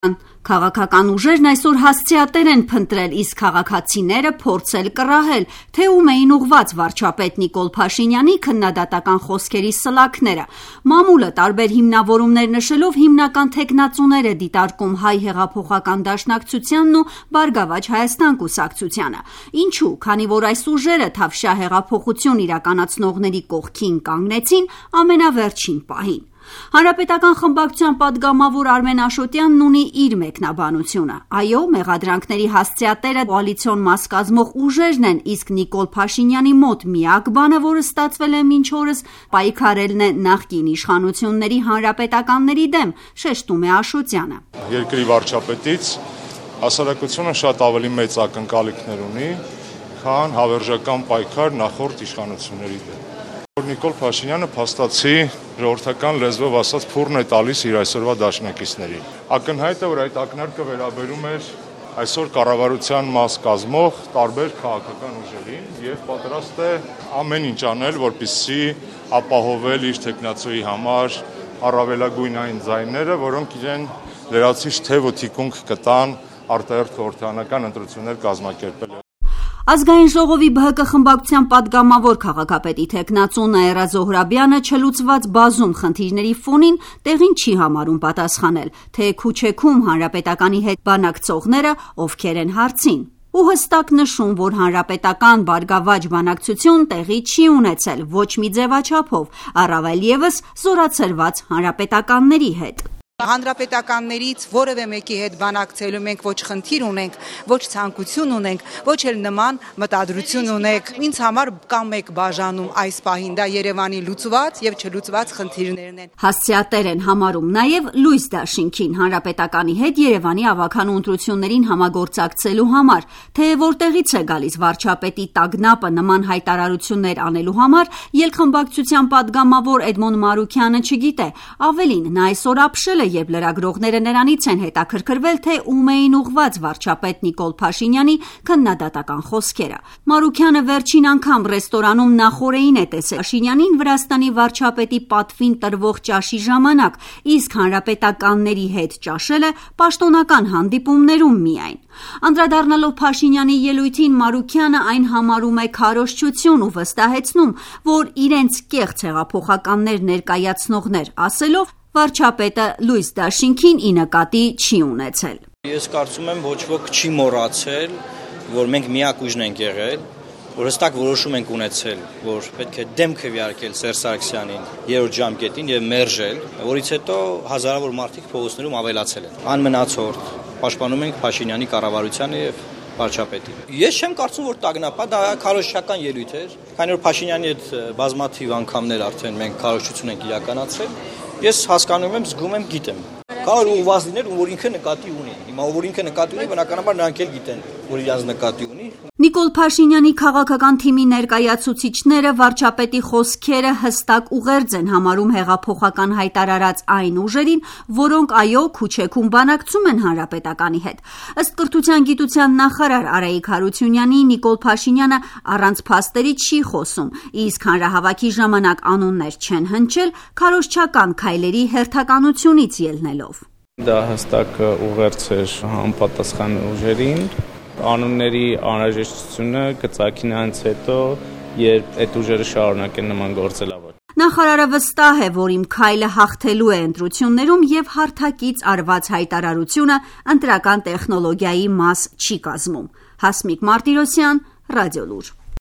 Քաղաքական ուժերն այսօր հասցեատեր են փնտրել, իսկ քաղաքացիները փորձել կռահել, թե ում էին ուղված վարչապետ Նիկոլ Փաշինյանի քննադատական խոսքերի սլաքները։ Մամուլը տարբեր հիմնավորումներ նշելով հիմնական թեկնածուներ է դիտարկում Հայ հեղափոխական դաշնակցությանն ու Բարգավաճ Հայաստան կուսակցությանը։ Ինչու՞, քանի որ այս ուժերը Թավշյա հեղափոխություն իրականացնողների կողքին կանգնեցին ամենավերջին պահին։ Հանրապետական խմբակցության պատգամավոր Արմեն Աշոտյանն ունի իր մեկնաբանությունը։ Այո, մեղադրանքների հասցեատերը կոալիցիոն մաս կազմող ուժերն են, իսկ Նիկոլ Փաշինյանի մոտ միակ բանը, որը ստացվել է մինչ օրս, պայքարելն է նախկին իշխանությունների հանրապետականների դեմ, շեշտում է Աշոտյանը։ Երկրի վարչապետից հասարակությունը շատ ավելի մեծ ակնկալիքներ ունի, քան հավերժական պայքար նախորդ իշխանությունների դեմ։ Նիկոլ Փաշինյանը փաստացի ժողովրդական լեզվով ասած փուրն է տալիս իր այսօրվա դաշնակիցներին։ Ակնհայտ է, որ այդ ակնարկը վերաբերում էր այսօր կառավարության մաս կազմող տարբեր քաղաքական ուժերին եւ պատրաստ է ամեն ինչ անել, որպեսզի ապահովել իր թեկնածուի համար առավելագույն այն ձայները, որոնք իրեն լրացիչ թեւ ու թիկունք կտան արտահերթ խորհրդարանական ընտրություններ կազմակերպել։ Ազգային ժողովի ԲՀԿ խմբակցության պատգամավոր քաղաքապետի թեկնածու Նաիրա Զոհրաբյանը չլուծված բազում խնդիրների ֆոնին տեղին չի համարում պատասխանել, թե Քուչեքում հանրապետականի հետ բանակցողները ովքեր են հարցին։ Ու հստակ նշում, որ հանրապետական Բարգավաճ բանակցություն տեղի չի ունեցել ոչ մի ձևաչափով, առավել ևս զորացրված հանրապետականների հետ։ Հանրապետականներից որևէ մեկի հետ բանակցելու մենք ոչ խնդիր ունենք, ոչ ցանկություն ունենք, ոչ էլ նման մտադրություն ունենք։ Ինձ համար կա մեկ բաժանում այս պահին, դա Երևանի լուծված եւ չլուծված խնդիրներն են։ Հասցեատեր են համարում նաեւ Լույս Դաշինքին հանրապետականի հետ Երևանի ավականու ընտրություններին համագործակցելու համար, թե որտեղից է գալիս վարչապետի տագնապը նման հայտարարություններ անելու համար, ելքխմբակցության պատգամավոր Էդմոն Մարուքյանը չգիտե։ Ավելին, նա այսօր ապշել է, երբ լրագրողները նրանից են հետաքրքրվել, թե ում էին ուղված վարչապետ Նիկոլ Փաշինյանի քննադատական խոսքերը։ Մարուքյանը վերջին անգամ ռեստորանում նախօրեին է տեսել Փաշինյանին Վրաստանի վարչապետի պատվին տրվող ճաշի ժամանակ, իսկ հանրապետականների հետ ճաշելը պաշտոնական հանդիպումներում միայն։ Անդրադառնալով Փաշինյանի ելույթին, Մարուքյանը այն համարում է քարոզչություն ու վստահեցնում, որ իրենց կեղծ հեղափոխականներ ներկայացնողներ ասելով վարչապետը Լույս Դաշինքին ի նկատի չի ունեցել։ Ես կարծում եմ ոչ ոք չի մոռացել, որ մենք միակ ուժն ենք եղել, որ հստակ որոշում ենք ունեցել, որ պետք է դեմ քվեարկել Սերժ Սարգսյանին երրորդ ժամկետին եւ մերժել, որից հետո հազարավոր մարդիկ փողոցներում ավելացել են։ Անմնացորդ պաշտպանում ենք Փաշինյանի կառավարությանը եւ վարչապետին։ Ես չեմ կարծում, որ տագնապա, դա քարոզչական ելույթ էր, քանի որ Փաշինյանի հետ բազմաթիվ անգամներ արդեն մենք քարոզչություն ենք իրականացրել։ Ես հասկանում եմ, զգում եմ, գիտեմ։ Կարող ուղղված լինել, որ ինքը նկատի ունի։ Հիմա որ ինքը նկատի ունի, բնականաբար նրանք էլ գիտեն, որ իրանց նկատի ունի։ Նիկոլ Փաշինյանի քաղաքական թիմի ներկայացուցիչները վարչապետի խոսքերը հստակ ուղերձ են համարում հեղափոխական հայտարարած այն ուժերին, որոնք այո Քուչեքում բանակցում են հանրապետականի հետ։ Ըստ կրթության գիտության նախարար Արայիկ Հարությունյանի, Նիկոլ Փաշինյանը առանց փաստերի չի խոսում, իսկ հանրահավաքի ժամանակ անուններ չեն հնչել քարոզչական քայլերի հերթականությունից ելնելով։ Դա հստակ ուղերձ էր համապատասխան ուժերին։ Անունների անհրաժեշտությունը կծագի նրանց հետո, երբ այդ ուժերը շարունակեն նման գործելավը։ Նախարարը վստահ է, որ իմ քայլը հաղթելու է ընտրություններում եւ հարթակից արված հայտարարությունը ընտրական տեխնոլոգիայի մաս չի կազմում։ Հասմիկ Մարտիրոսյան, Ռադիոլուր։